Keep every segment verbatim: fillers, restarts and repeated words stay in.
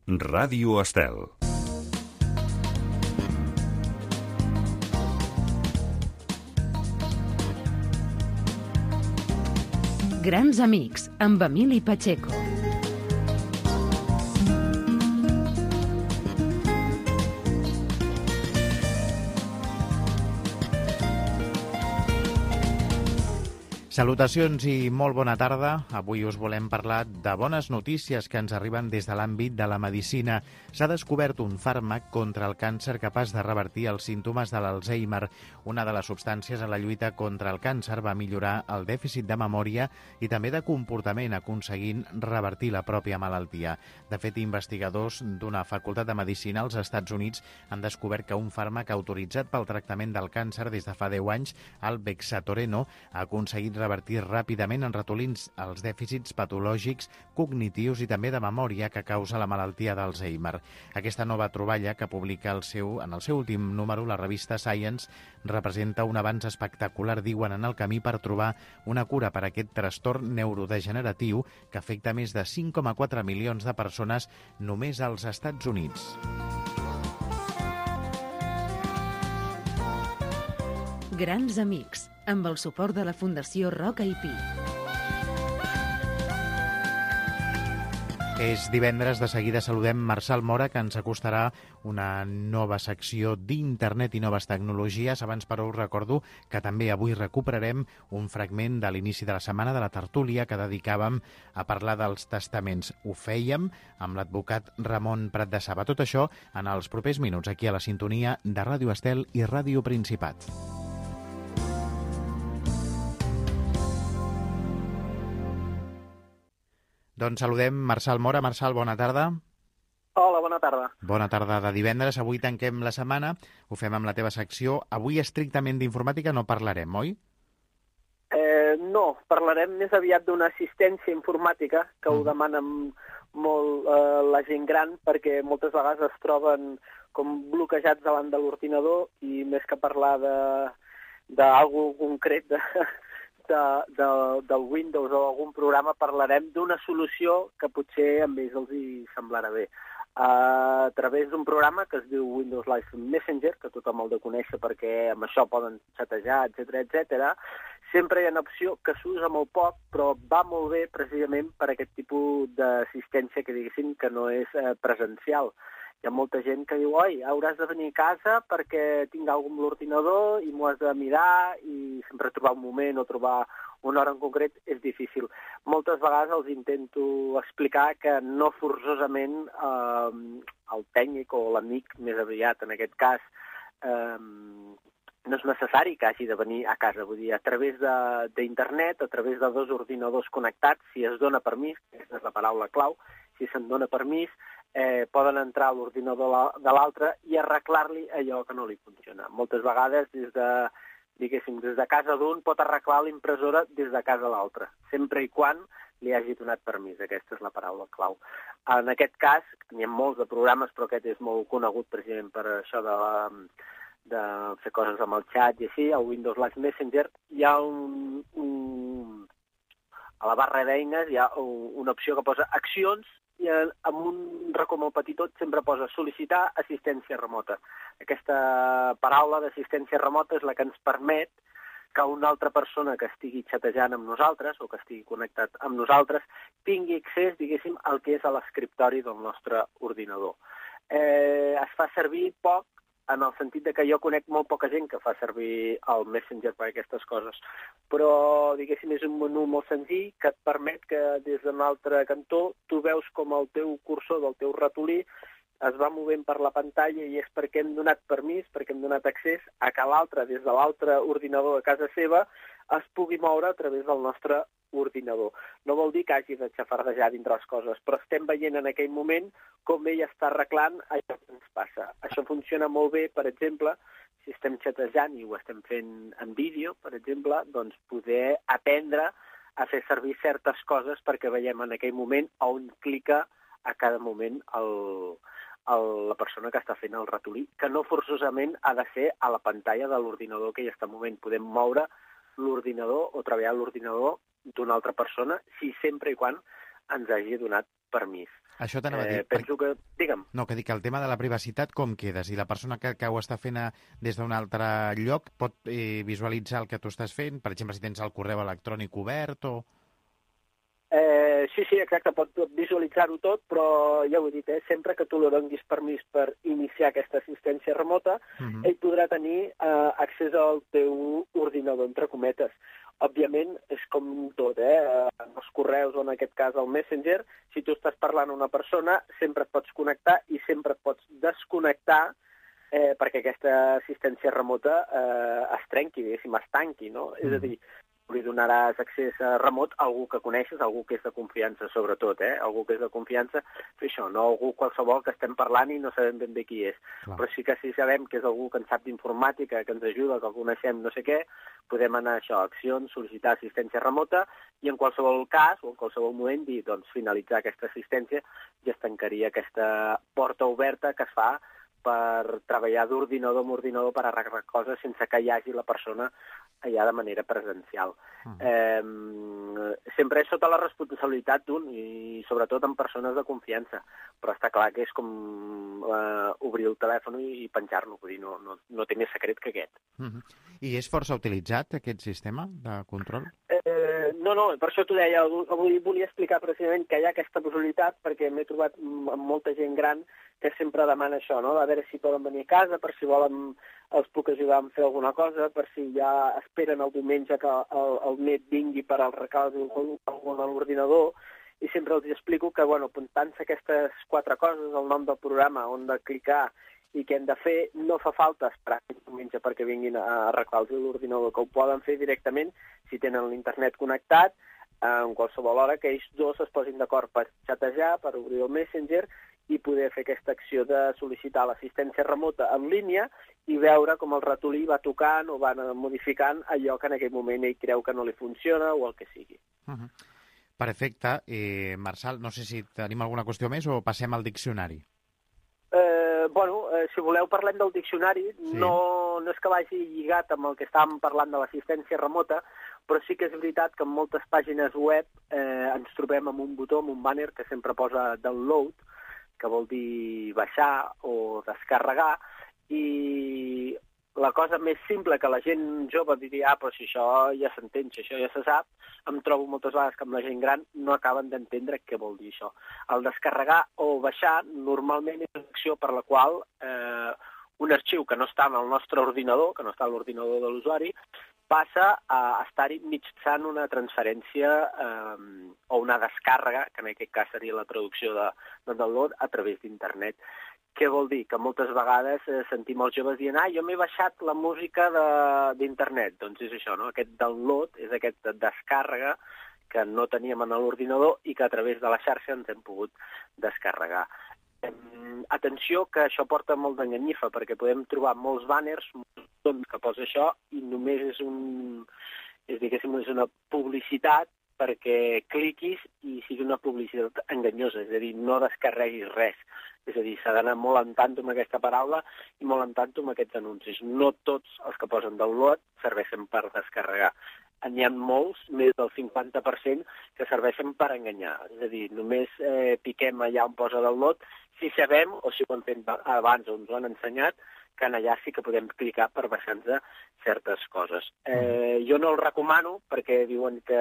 Ràdio Estel. Grans amics, amb Emili Pacheco. Salutacions i molt bona tarda. Avui us volem parlar de bones notícies que ens arriben des de l'àmbit de la medicina. S'ha descobert un fàrmac contra el càncer capaç de revertir els símptomes de l'Alzheimer. Una de les substàncies en la lluita contra el càncer va millorar el dèficit de memòria i també de comportament, aconseguint revertir la pròpia malaltia. De fet, investigadors d'una facultat de medicina als Estats Units han descobert que un fàrmac autoritzat pel tractament del càncer des de fa deu anys, el Bexatoreno, ha aconseguit revertir ràpidament en ratolins els dèficits patològics, cognitius i també de memòria que causa la malaltia d'Alzheimer. Aquesta nova troballa que publica el seu, en el seu últim número la revista Science representa un avanç espectacular, diuen, en el camí per trobar una cura per a aquest trastorn neurodegeneratiu que afecta més de cinc coma quatre milions de persones només als Estats Units. Grans amics, amb el suport de la Fundació Roca i Pi. És divendres, de seguida saludem Marçal Mora, que ens acostarà una nova secció d'internet i noves tecnologies. Abans, però, us recordo que també avui recuperarem un fragment de l'inici de la setmana de la tertúlia que dedicàvem a parlar dels testaments. Ho fèiem amb l'advocat Ramon Prat de Saba. Tot això en els propers minuts, aquí a la sintonia de Ràdio Estel i Ràdio Principat. Doncs saludem Marçal Mora. Marçal, bona tarda. Hola, bona tarda. Bona tarda de divendres. Avui tanquem la setmana. Ho fem amb la teva secció. Avui estrictament d'informàtica no parlarem, oi? Eh, no, parlarem més aviat d'una assistència informàtica que mm. ho demanen molt eh, la gent gran, perquè moltes vegades es troben com bloquejats davant de l'ordinador i més que parlar d'algú concret de... De, de, del Windows o algun programa, parlarem d'una solució que potser a ells els hi semblarà bé. Uh, a través d'un programa que es diu Windows Live Messenger, que tothom el de conèixer perquè amb això poden xatejar, etcètera, etcètera, sempre hi ha una opció que s'usa molt poc, però va molt bé precisament per aquest tipus d'assistència que diguéssim que no és eh, presencial. Hi ha molta gent que diu, oi, hauràs de venir a casa perquè tinc alguna amb l'ordinador i m'ho has de mirar, i sempre trobar un moment o trobar una hora en concret és difícil. Moltes vegades els intento explicar que no forçosament eh, el tècnic o l'amic, més aviat en aquest cas, eh, no és necessari que hagi de venir a casa. Vull dir, a través d'internet, a través de dos ordinadors connectats, si es dona permís, aquesta és la paraula clau, si se'n dona permís, Eh, poden entrar a l'ordinador de l'altre i arreglar-li allò que no li funciona. Moltes vegades, des de, diguéssim, des de casa d'un pot arreglar l'impressora des de casa l'altre, sempre i quan li hagi donat permís. Aquesta és la paraula clau. En aquest cas, n'hi ha molts de programes, però aquest és molt conegut precisament per això de, la, de fer coses amb el xat i així. Al Windows Live Messenger hi ha un, un... a la barra d'eines hi ha una opció que posa accions, i amb un racó molt petitó sempre posa sol·licitar assistència remota. Aquesta paraula d'assistència remota és la que ens permet que una altra persona que estigui xatejant amb nosaltres o que estigui connectat amb nosaltres tingui accés, diguéssim, al que és a l'escriptori del nostre ordinador. Eh, es fa servir poc, en el sentit de que jo conec molt poca gent que fa servir el Messenger per aquestes coses. Però, diguéssim, és un menú molt senzill que et permet que des d'un altre cantó tu veus com el teu cursor del teu ratolí es va movent per la pantalla i és perquè hem donat permís, perquè hem donat accés a que l'altre, des de l'altre ordinador a casa seva, es pugui moure a través del nostre ordinador. No vol dir que hagi de xafardejar dintre les coses, però estem veient en aquell moment com ell està arreglant allò que ens passa. Això funciona molt bé, per exemple, si estem xatejant i ho estem fent en vídeo, per exemple, doncs poder aprendre a fer servir certes coses perquè veiem en aquell moment on clica a cada moment el, el, la persona que està fent el ratolí, que no forçosament ha de ser a la pantalla de l'ordinador que hi està movent. Podem moure l'ordinador o treballar l'ordinador d'una altra persona, si sempre i quan ens hagi donat permís. Això t'anava a dir. Eh, penso que... Digue'm. No, que dic que el tema de la privacitat com queda? Si la persona que, que ho està fent a, des d'un altre lloc pot eh, visualitzar el que tu estàs fent? Per exemple, si tens el correu electrònic obert o... Eh, sí, sí, exacte, pot visualitzar-ho tot, però ja ho he dit, eh, sempre que tu li donguis permís per iniciar aquesta assistència remota, uh-huh. ell podrà tenir eh, accés al teu ordinador, entre cometes. Òbviament, és com tot, eh? En els correus o en aquest cas el Messenger, si tu estàs parlant a una persona, sempre et pots connectar i sempre et pots desconnectar eh, perquè aquesta assistència remota eh, es trenqui, diguéssim, es tanqui, no? Mm. És a dir, li donaràs accés a remot a algú que coneixes, algú que és de confiança, sobretot, eh? Algú que és de confiança, fer això, no algú qualsevol que estem parlant i no sabem ben bé qui és. Clar. Però sí que si sabem que és algú que en sap d'informàtica, que ens ajuda, que el coneixem, no sé què, podem anar a això, a accions, sol·licitar assistència remota i en qualsevol cas o en qualsevol moment dir, doncs, finalitzar aquesta assistència i es tancaria aquesta porta oberta que es fa per treballar d'ordinador en ordinador per arreglar coses sense que hi hagi la persona allà de manera presencial. Uh-huh. Eh, sempre és sota la responsabilitat d'un i sobretot en persones de confiança, però està clar que és com eh, obrir el telèfon i, i penjar-lo, vull dir, no, no, no té més secret que aquest. Uh-huh. I és força utilitzat aquest sistema de control? Eh, no, no, per això t'ho deia, avui volia explicar precisament que hi ha aquesta possibilitat perquè m'he trobat amb molta gent gran que sempre demana això, no? A veure si poden venir a casa, per si volen els puc ajudar a fer alguna cosa, per si ja esperen el diumenge que el, el net vingui per arreglar alguna a l'ordinador, i sempre els explico que, bueno, apuntant-se aquestes quatre coses, el nom del programa, on de clicar i què hem de fer, no fa falta esperar el diumenge perquè vinguin a arreglar l'ordinador, que ho poden fer directament si tenen l'internet connectat, en qualsevol hora que ells dos es posin d'acord per xatejar, per obrir el Messenger i poder fer aquesta acció de sol·licitar l'assistència remota en línia i veure com el ratolí va tocant o va modificant allò que en aquell moment ell creu que no li funciona o el que sigui. Uh-huh. Perfecte. Eh, Marçal, no sé si tenim alguna qüestió més o passem al diccionari. Eh, bueno, eh, si voleu parlem del diccionari. Sí. No, no és que vagi lligat amb el que estàvem parlant de l'assistència remota, però sí que és veritat que en moltes pàgines web eh, ens trobem amb un botó, amb un banner que sempre posa download, que vol dir baixar o descarregar, i la cosa més simple que la gent jove diria, ah, però si això ja s'entén, si això ja se sap, em trobo moltes vegades que amb la gent gran no acaben d'entendre què vol dir això. El descarregar o baixar normalment és una acció per la qual eh, un arxiu que no està en el nostre ordinador, que no està a l'ordinador de l'usuari, passa a estar-hi mitjançant una transferència eh, o una descàrrega, que en aquest cas seria la traducció de, de download, a través d'internet. Què vol dir? Que moltes vegades eh, sentim els joves dient ah, jo m'he baixat la música d'internet. Doncs és això, no? Aquest download és aquesta descàrrega que no teníem en l'ordinador i que a través de la xarxa ens hem pogut descarregar. Eh, atenció, que això porta molt d'enganyifa, perquè podem trobar molts banners que posa això i només és, un, és, diguéssim, és una publicitat perquè cliquis i sigui una publicitat enganyosa, és a dir, no descarreguis res. És a dir, s'ha d'anar molt en tanto amb aquesta paraula i molt en tanto amb aquests anuncis. No tots els que posen download serveixen per descarregar. N'hi ha molts, més del cinquanta per cent, que serveixen per enganyar. És a dir, només eh, piquem allà on posa download si sabem, o si ho hem fet abans o ens ho han ensenyat, que allà sí que podem clicar per baixar-nos certes coses. Eh, jo no el recomano perquè diuen que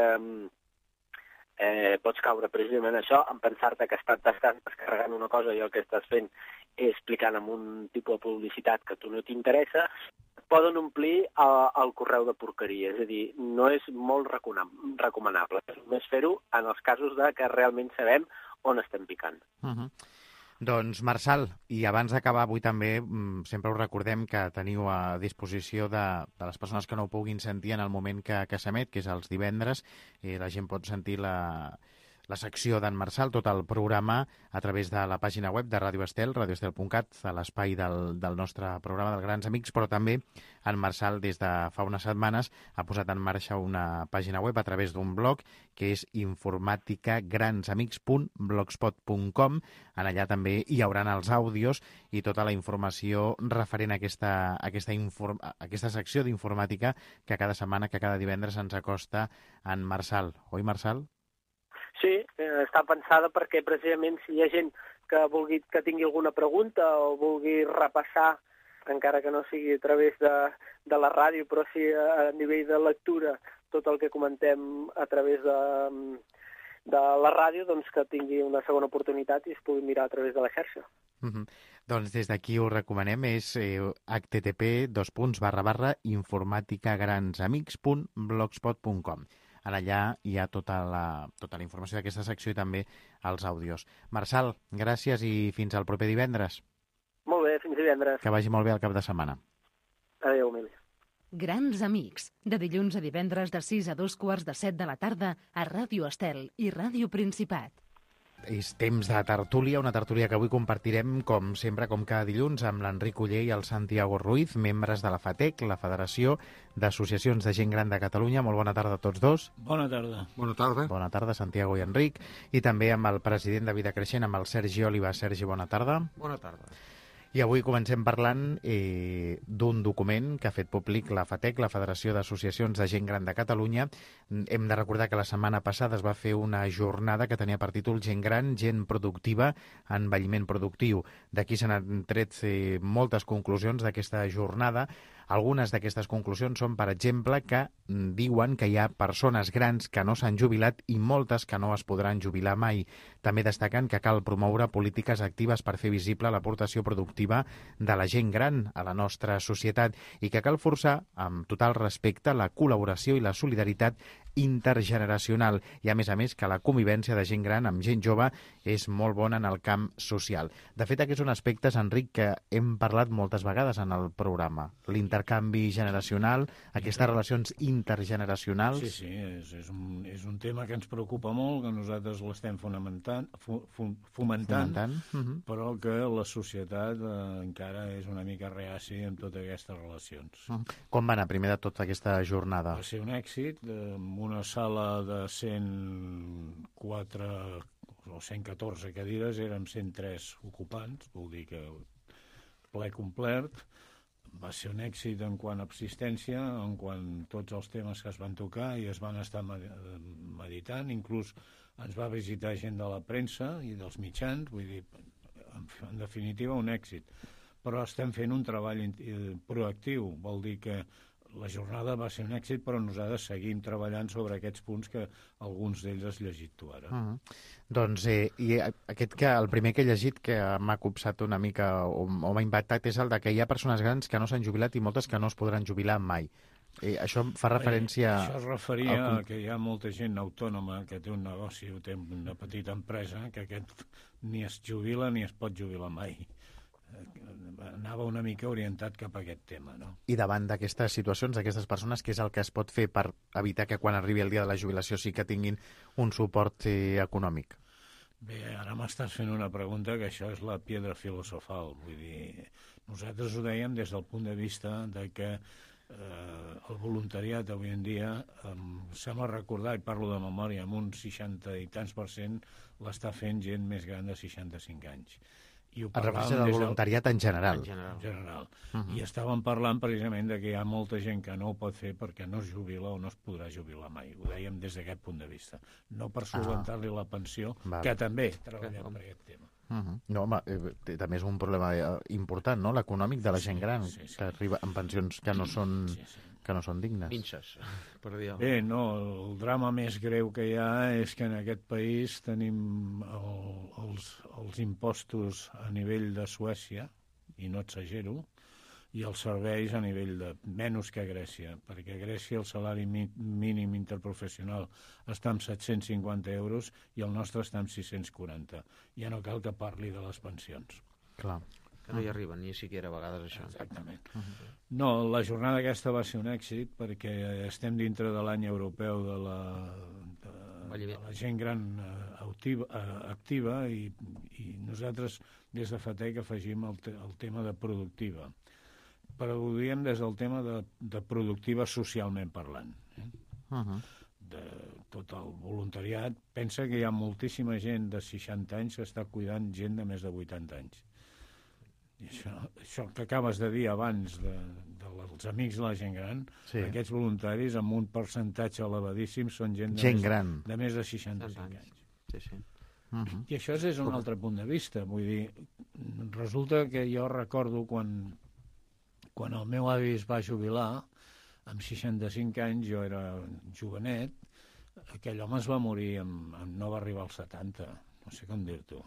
eh, pots caure precisament això, en pensar-te que estàs descarregant una cosa i el que estàs fent és explicant amb un tipus de publicitat que a tu no t'interessa, poden omplir el, el correu de porqueria. És a dir, no és molt recomanable. És només fer-ho en els casos de que realment sabem on estem picant. Uh-huh. Doncs, Marçal, i abans d'acabar avui també, sempre us recordem que teniu a disposició de, de les persones que no ho puguin sentir en el moment que, que s'emet, que és els divendres, i la gent pot sentir la, la secció d'en Marçal, tot el programa, a través de la pàgina web de Ràdio Estel, radio estel punt cat, a l'espai del, del nostre programa dels Grans Amics, però també en Marçal, des de fa unes setmanes, ha posat en marxa una pàgina web a través d'un blog que és informatica grans amics punt blogspot punt com. En allà també hi haurà els àudios i tota la informació referent a aquesta, a aquesta, inform, a aquesta secció d'informàtica que cada setmana, que cada divendres ens acosta en Marçal. Oi, Marçal? Sí, eh, està pensada perquè precisament si hi ha gent que vulgui que tingui alguna pregunta o vulgui repassar, encara que no sigui a través de, de la ràdio, però sí a, a nivell de lectura, tot el que comentem a través de, de la ràdio, doncs que tingui una segona oportunitat i es pugui mirar a través de la xarxa. Mm-hmm. Doncs des d'aquí ho recomanem, és eh, h t t p dos punts barra barra informaticagransamics punt blogspot punt com. En allà hi ha tota la, tota la informació d'aquesta secció i també els àudios. Marçal, gràcies i fins al proper divendres. Molt bé, fins divendres. Que vagi molt bé el cap de setmana. Adéu, Emili. Grans Amics, de dilluns a divendres de sis a dos quarts de set de la tarda a Ràdio Estel i Ràdio Principat. És temps de tertúlia, una tertúlia que avui compartirem, com sempre, com cada dilluns, amb l'Enric Uller i el Santiago Ruiz, membres de la FATEC, la Federació d'Associacions de Gent Gran de Catalunya. Molt bona tarda a tots dos. Bona tarda. Bona tarda. Bona tarda, Santiago i Enric. I també amb el president de Vida Creixent, amb el Sergi Oliva. Sergi, bona tarda. Bona tarda. I avui comencem parlant eh, d'un document que ha fet públic la FATEC, la Federació d'Associacions de Gent Gran de Catalunya. Hem de recordar que la setmana passada es va fer una jornada que tenia per títol Gent Gran, Gent Productiva, Envelliment Productiu. D'aquí se n'han tret eh, moltes conclusions d'aquesta jornada. Algunes d'aquestes conclusions són, per exemple, que diuen que hi ha persones grans que no s'han jubilat i moltes que no es podran jubilar mai. També destaquen que cal promoure polítiques actives per fer visible l'aportació productiva de la gent gran a la nostra societat i que cal forçar, amb total respecte, la col·laboració i la solidaritat intergeneracional i, a més a més, que la convivència de gent gran amb gent jove és molt bona en el camp social. De fet, aquests són aspectes, Enric, que hem parlat moltes vegades en el programa. L'intercanvi generacional, aquestes relacions intergeneracionals... Sí, sí, és, és, un, és un tema que ens preocupa molt, que nosaltres l'estem fomentant, fu, fu, fomentant, fomentant. Uh-huh. Però que la societat eh, encara és una mica reaci en totes aquestes relacions. Uh-huh. Com va anar primer de tot aquesta jornada? Va ser un èxit, eh, una sala de cent quatre o cent catorze cadires, érem cent tres ocupants, vol dir que ple complet. Va ser un èxit en quant a assistència, en quant a tots els temes que es van tocar i es van estar meditant, inclús ens va visitar gent de la premsa i dels mitjans, vull dir, en definitiva un èxit. Però estem fent un treball proactiu, vol dir que la jornada va ser un èxit, però nosaltres seguim treballant sobre aquests punts que alguns d'ells has llegit tu ara. Uh-huh. Doncs eh, i aquest que, el primer que he llegit que m'ha copsat una mica o, o m'ha impactat és el de que hi ha persones grans que no s'han jubilat i moltes que no es podran jubilar mai. Eh, això fa referència... Bé, això es referia al... a que hi ha molta gent autònoma que té un negoci o té una petita empresa que aquest ni es jubila ni es pot jubilar mai. Anava una mica orientat cap a aquest tema, no? I davant d'aquestes situacions, d'aquestes persones, què és el que es pot fer per evitar que quan arribi el dia de la jubilació sí que tinguin un suport eh, econòmic? Bé, ara m'estàs fent una pregunta que això és la piedra filosofal. Vull dir, nosaltres ho dèiem des del punt de vista de que eh, el voluntariat avui en dia, eh, sembla recordar, i parlo de memòria, amb un seixanta i tants per cent l'està fent gent més gran de seixanta-cinc anys. I ho es refereix al voluntariat en general. En general. En general. Uh-huh. I estàvem parlant precisament de que hi ha molta gent que no ho pot fer perquè no es jubila o no es podrà jubilar mai. Ho dèiem des d'aquest punt de vista. No per solventar-li la pensió, Val. que també treballem per aquest tema. Uh-huh. No, home, eh, també és un problema eh, important, no?, l'econòmic de la gent gran, sí, sí, sí. que arriba amb pensions que no són, sí, sí. que no són dignes. Minxes, per dir alguna cosa. Bé, no, el drama més greu que hi ha és que en aquest país tenim el, els, els impostos a nivell de Suècia, i no exagero, i els serveis a nivell de menys que a Grècia, perquè a Grècia el salari mínim interprofessional està en set-cents cinquanta euros i el nostre està en sis-cents quaranta. Ja no cal que parli de les pensions. Clar. Que no hi arriben ni siquiera a vegades això. Exactament. Uh-huh. No, la jornada aquesta va ser un èxit perquè estem dintre de l'any europeu de la, de, de la gent gran activa, activa i, i nosaltres des de FATEC afegim el, te, el tema de productiva. Però ho diem des del tema de, de productiva socialment parlant. Eh? Uh-huh. De tot el voluntariat. Pensa que hi ha moltíssima gent de seixanta anys que està cuidant gent de més de vuitanta anys. I això, això que acabes de dir abans de, dels amics de la gent gran, sí. Aquests voluntaris amb un percentatge elevadíssim són gent de, gent més, gran. de més de seixanta-cinc anys. Sí, sí. Uh-huh. I això és un altre punt de vista. Vull dir, resulta que jo recordo quan, quan el meu avi es va jubilar, amb seixanta-cinc anys, jo era jovenet, aquell home es va morir, amb, amb, no va arribar als setanta, no sé com dir-t'ho.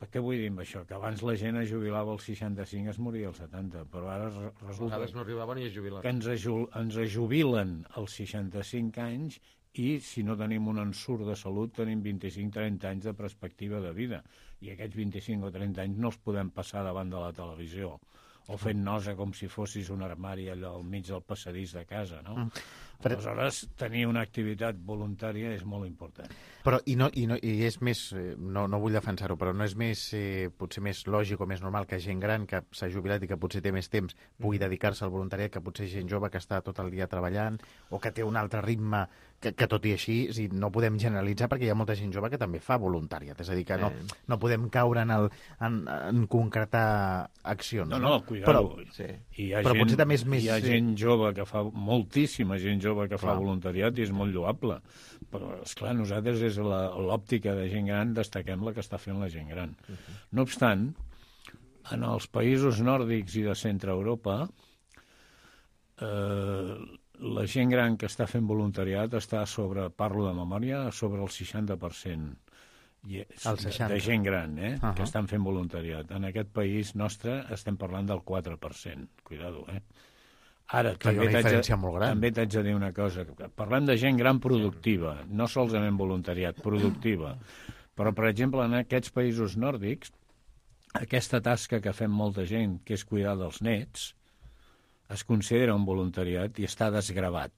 Per què vull dir amb això? Que abans la gent es jubilava als seixanta-cinc, es moria als setanta, però ara resulta no arribaven ni a jubilar. que ens, aju ens ajubilen als seixanta-cinc anys i si no tenim un ensurt de salut tenim vint-i-cinc trenta anys de perspectiva de vida i aquests vint-i-cinc o trenta anys no els podem passar davant de la televisió o fent nosa com si fossis un armari allò al mig del passadís de casa, no? Mm. Però... Aleshores, tenir una activitat voluntària és molt important. Però, i, no, i, no, i és més, no, no vull defensar-ho, però no és més, eh, potser més lògic o més normal que gent gran que s'ha jubilat i que potser té més temps pugui dedicar-se al voluntariat que potser gent jove que està tot el dia treballant o que té un altre ritme que, que tot i així si no podem generalitzar perquè hi ha molta gent jove que també fa voluntariat. És a dir, que no, no podem caure en, el, en, en concretar accions. No, no, cuidado. Però, sí. Hi ha però gent, potser també és més... Hi ha gent jove que fa, moltíssima gent jove que Clar. fa voluntariat i és molt lloable. Però, esclar, nosaltres és l'òptica de gent gran, destaquem la que està fent la gent gran. Uh -huh. No obstant, en els països nòrdics i de centre Europa, eh, la gent gran que està fent voluntariat està sobre, parlo de memòria, sobre el seixanta per cent de, de gent gran eh, uh -huh. que estan fent voluntariat. En aquest país nostre estem parlant del quatre per cent. Cuidado, eh? Ara, també t'haig de dir una cosa. Parlem de gent gran productiva, no solament voluntariat, productiva. Però, per exemple, en aquests països nòrdics, aquesta tasca que fem molta gent, que és cuidar dels nets, es considera un voluntariat i està desgravat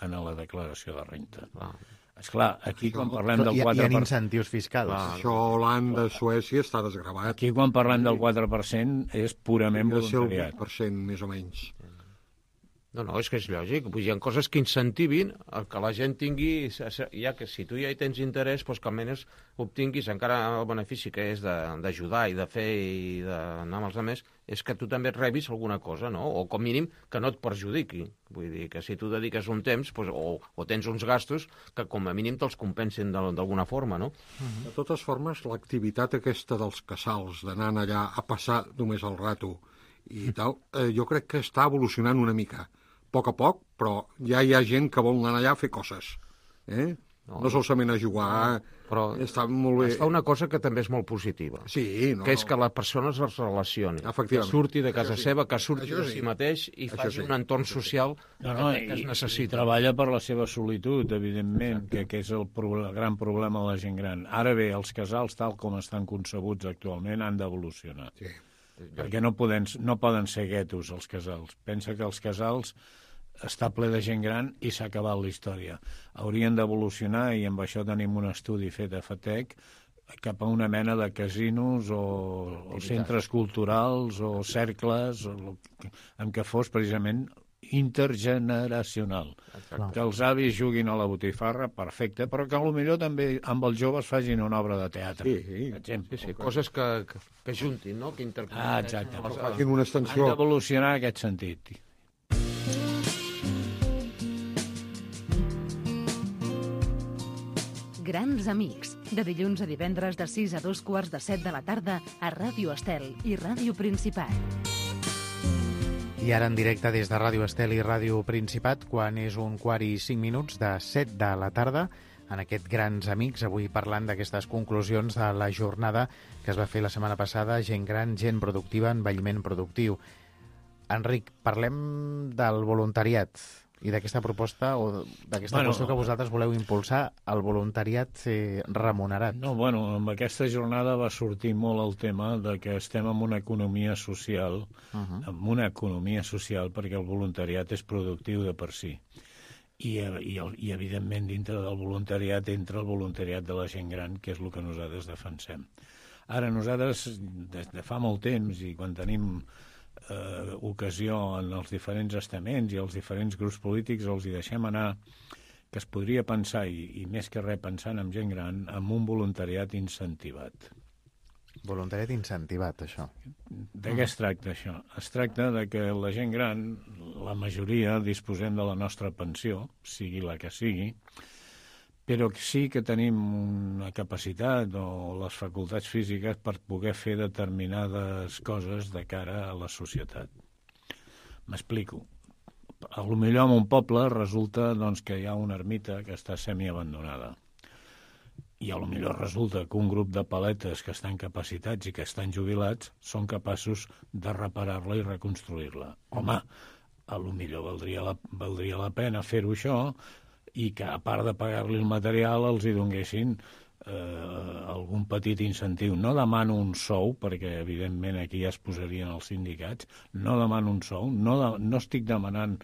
en la declaració de renta. Ah. Esclar, aquí quan parlem del quatre per cent... Hi ha incentius fiscals. Ah, això a Holanda, a Suècia, està desgravat. Aquí quan parlem del quatre per cent és purament voluntariat. Ha de ser el vuit per cent, més o menys. No, no, és que és lògic. Hi ha coses que incentivin el que la gent tingui, ja que si tu ja hi tens interès, doncs que almenys obtinguis encara el benefici que és d'ajudar i de fer i d'anar amb els altres, és que tu també rebis alguna cosa, no? O com mínim que no et perjudiqui. Vull dir que si tu dediques un temps doncs, o, o tens uns gastos que com a mínim te'ls compensin d'alguna forma, no? De totes formes, l'activitat aquesta dels casals, d'anar allà a passar només el rato i tal, eh, jo crec que està evolucionant una mica. A poc a poc, però ja hi ha gent que vol anar allà a fer coses. Eh? No, no solament a jugar, però està molt bé. Es fa una cosa que també és molt positiva, sí, no, que és que la persona es relacioni, que surti de casa sí. seva, que surti de sí. si mateix i Això faci sí. un entorn social no, no, que, que es necessita. I treballa per la seva solitud, evidentment, que, que és el, pro el gran problema de la gent gran. Ara bé, els casals, tal com estan concebuts actualment, han d'evolucionar. Sí. Perquè no poden, no poden ser guetos, els casals. Pensa que els casals està ple de gent gran i s'ha acabat la història. Haurien d'evolucionar, i amb això tenim un estudi fet a FATEC, cap a una mena de casinos o, o centres culturals o cercles o, en què fos precisament intergeneracional. Exacte. Que els avis juguin a la botifarra, perfecte, però que potser també amb els joves facin una obra de teatre. Sí, sí. Sí, sí, coses que, que, que juntin, no? Que interpretin. Ah, exacte. Facin una extensió. Han d'evolucionar en aquest sentit. Grans amics, de dilluns a divendres de sis a dos quarts de set de la tarda a Ràdio Estel i Ràdio Principat. I ara en directe des de Ràdio Estel i Ràdio Principat, quan és un quart i cinc minuts de set de la tarda, en aquest Grans Amics, avui parlant d'aquestes conclusions de la jornada que es va fer la setmana passada, gent gran, gent productiva, envelliment productiu. Enric, parlem del voluntariat i d'aquesta proposta o d'aquesta bueno, qüestió que vosaltres voleu impulsar, el voluntariat eh, remunerat. No, bueno, amb aquesta jornada va sortir molt el tema de que estem en una economia social, uh-huh. en una economia social perquè el voluntariat és productiu de per si. I, i, i evidentment dintre del voluntariat entra el voluntariat de la gent gran, que és el que nosaltres defensem. Ara nosaltres, des de fa molt temps, i quan tenim eh, ocasió en els diferents estaments i els diferents grups polítics, els hi deixem anar que es podria pensar, i, i més que res pensant en gent gran, en un voluntariat incentivat. Voluntariat incentivat, això. De què es tracta, això? Es tracta de que la gent gran, la majoria, disposem de la nostra pensió, sigui la que sigui, però sí que tenim una capacitat o les facultats físiques per poder fer determinades coses de cara a la societat. M'explico. A lo millor en un poble resulta doncs, que hi ha una ermita que està semiabandonada. I a lo millor resulta que un grup de paletes que estan capacitats i que estan jubilats són capaços de reparar-la i reconstruir-la. Home, a lo millor valdria la, valdria la pena fer-ho això i que, a part de pagar-li el material, els hi donguessin eh, algun petit incentiu. No demano un sou, perquè evidentment aquí ja es posarien els sindicats, no demano un sou, no, de, no estic demanant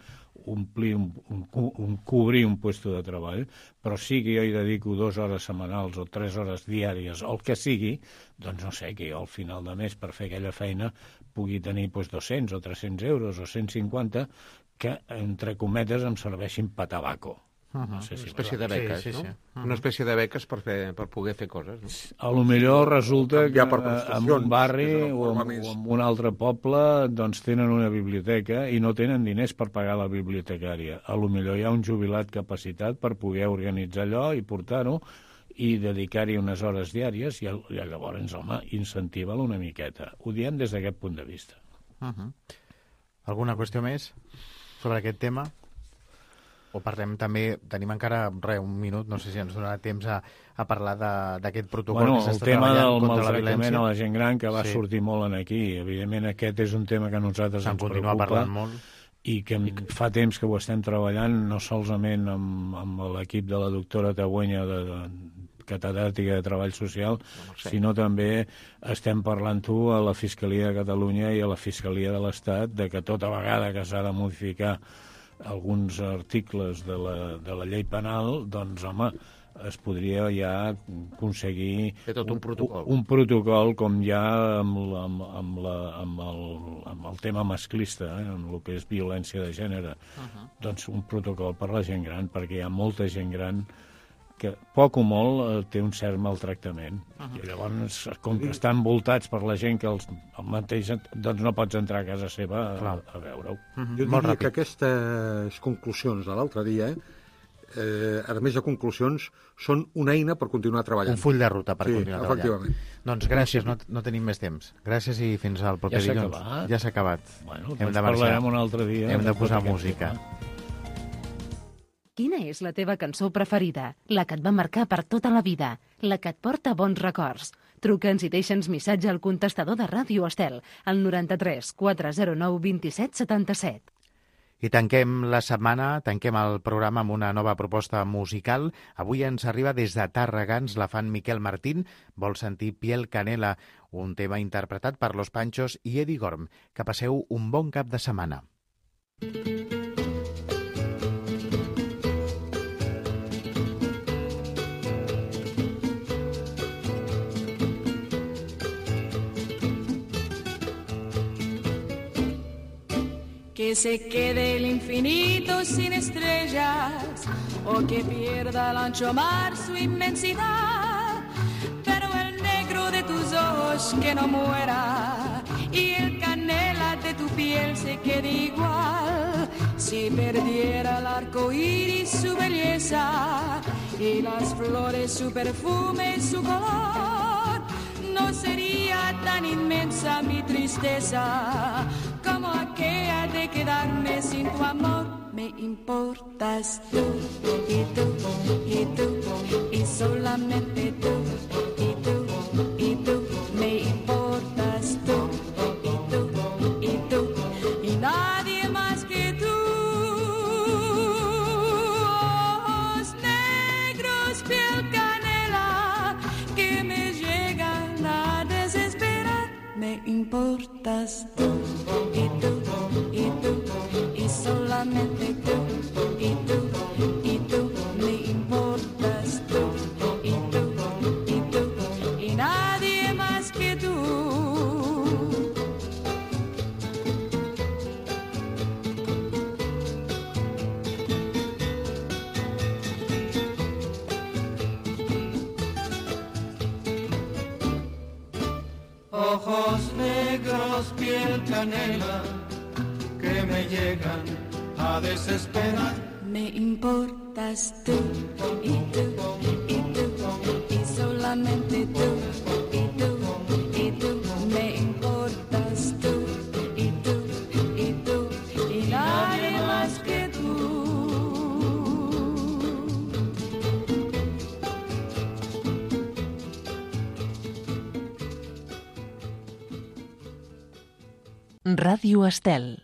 omplir un, un, un, cobrir un puesto de treball, però sí que jo hi dedico dues hores setmanals o tres hores diàries, o el que sigui, doncs no sé, que jo al final de mes per fer aquella feina pugui tenir doncs, dos-cents o tres-cents euros o cent cinquanta que, entre cometes, em serveixin per tabaco. Uh -huh. No sé si una espècie de beques, sí, sí, sí. no? Uh -huh. Una espècie de beques per, fer, per poder fer coses. No? A lo millor resulta que en un barri o en, o en un altre poble doncs tenen una biblioteca i no tenen diners per pagar la bibliotecària. A lo millor hi ha un jubilat capacitat per poder organitzar allò i portar-ho i dedicar-hi unes hores diàries i, i llavors, home, incentiva-la una miqueta. Ho diem des d'aquest punt de vista. Uh -huh. Alguna qüestió més sobre aquest tema? O parlem també, tenim encara re, un minut, no sé si ens donarà temps a, a parlar d'aquest protocol bueno, que s'està treballant contra la violència. El tema del maltractament a la gent gran que va sí. sortir molt en aquí. Evidentment aquest és un tema que a nosaltres ens continua preocupa parlant molt. I que fa temps que ho estem treballant, no solament amb, amb l'equip de la doctora Tagüenya de, de catedràtica de Treball Social, no sé. sinó també estem parlant-ho a la Fiscalia de Catalunya i a la Fiscalia de l'Estat de que tota vegada que s'ha de modificar alguns articles de la, de la llei penal, doncs, home, es podria ja aconseguir tot un protocol. Un, un protocol com ja amb, la, amb, amb, la, amb, el, amb el tema masclista, eh, amb el que és violència de gènere. Uh-huh. Doncs un protocol per la gent gran, perquè hi ha molta gent gran que poc o molt eh, té un cert maltractament. Uh-huh. I llavors, com que estan envoltats per la gent que els el mateix, doncs no pots entrar a casa seva a, a veure-ho. Uh-huh. Jo diria que aquestes conclusions de l'altre dia, eh, a més de conclusions, són una eina per continuar treballant. Un full de ruta per sí, continuar treballant. Doncs gràcies, no, no tenim més temps. Gràcies i fins al proper ja dilluns. Acabat. Ja s'ha acabat. Bueno, doncs parlarem un altre dia. Hem de posar música. Quina és la teva cançó preferida? La que et va marcar per tota la vida? La que et porta bons records? Truca'ns i deixa'ns missatge al contestador de Ràdio Estel, al noranta-tres quatre zero nou vint-i-set setanta-set. I tanquem la setmana, tanquem el programa amb una nova proposta musical. Avui ens arriba des de Tàrrega, ens la fan Miquel Martín, vol sentir Piel Canela, un tema interpretat per Los Panchos i Eddie Gorm. Que passeu un bon cap de setmana. Que se quede el infinito sin estrellas o que pierda el ancho mar su inmensidad, pero el negro de tus ojos que no muera y el canela de tu piel se quede igual. Si perdiera el arco iris su belleza y las flores su perfume y su color, no sería tan inmensa mi tristeza como aquella de quedarme sin tu amor. Me importas tú, y tú, y tú, y solamente tú, y tú, y tú. Me importas tú, y tú, y tú, y nadie más que tú. Ojos negros, piel canela, que me llegan a desesperar. Me importas tú, y tú, y tú, y solamente tú, y tú, y tú, me importas tú, y tú, y tú, y nadie más que tú. Ojos negros, piel canela, que me llegan a desesperar. Me importa importas tú, y tú, y tú, y solamente tú, y tú, y tú, me importas tú, y tú, y tú, y nadie más que tú. Ràdio Estel.